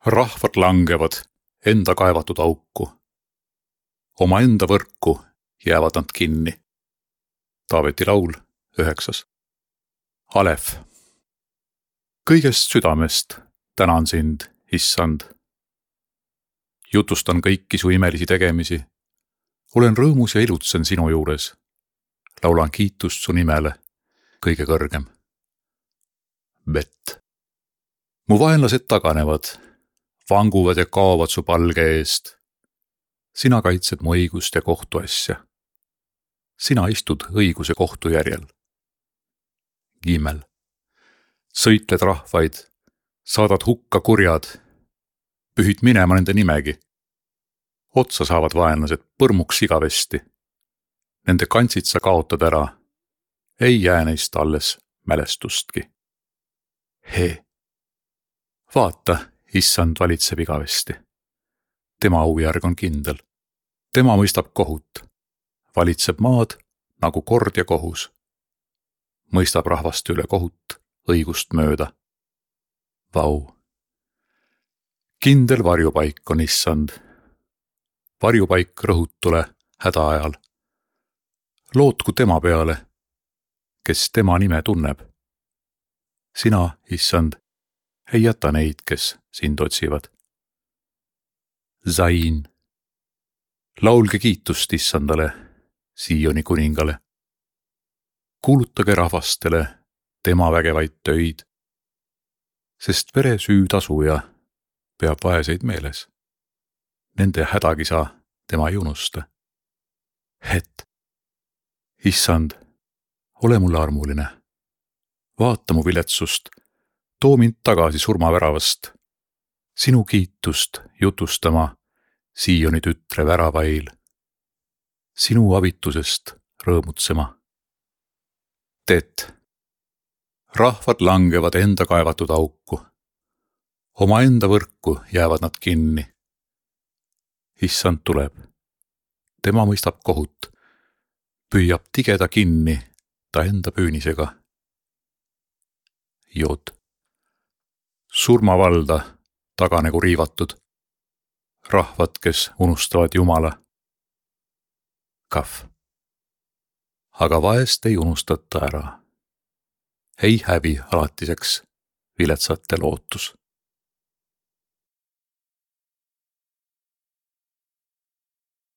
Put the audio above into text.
Rahvad langevad enda kaevatud auku. Omaenda võrku jäävad nad kinni. Taaveti laul 9. Alef. Kõigest südamest tänan sind, issand. Jutustan kõiki su imelisi tegemisi. Olen rõõmus ja ilutsen sinu juures. Laulan kiitust su nimele, kõige kõrgem. Bet. Mu vaenlased taganevad, vanguvad ja kaovad su palge eest. Sina kaitsed mu õigust ja kohtuasja. Sina istud õiguse kohtu järjel. Gimel. Sõitled rahvaid, saadad hukka kurjad, pühid minema nende nimegi. Otsa saavad vaenlased põrmuks igavesti. Nende kantsid sa kaotad ära, ei jää neist alles mälestustki. He. Vaata, issand valitseb igavesti. Tema aujärg on kindel. Tema mõistab kohut. Valitseb maad nagu kord ja kohus. Mõistab rahvaste üle kohut õigust mööda. Vau. Kindel varjupaik on issand. Varjupaik rõhutule häda ajal. Lootku tema peale, kes tema nime tunneb. Sina, issand, ei jäta neid, kes sind otsivad. Zain. Laulge kiitust issandale, Sioni kuningale. Kuulutage rahvastele tema vägevaid töid, sest veresüü tasuja peab vaeseid meeles. Nende hädakisa tema ei unusta. Het. Issand, ole mulle armuline. Vaata mu viletsust, too mind tagasi surmaväravast. Sinu kiitust jutustama Sioni tütre väravail. Sinu abitusest rõõmutsema. Tet. Rahvad langevad enda kaevatud auku. Omaenda võrku jäävad nad kinni. Issand tuleb. Tema mõistab kohut. Püüab tigeda kinni ta enda püünisega. Jod. Surmavalda taganegu riivatud. Rahvad, kes unustavad Jumala. Kaf. Aga vaest ei unustata ära. Ei hävi alatiseks viletsate lootus.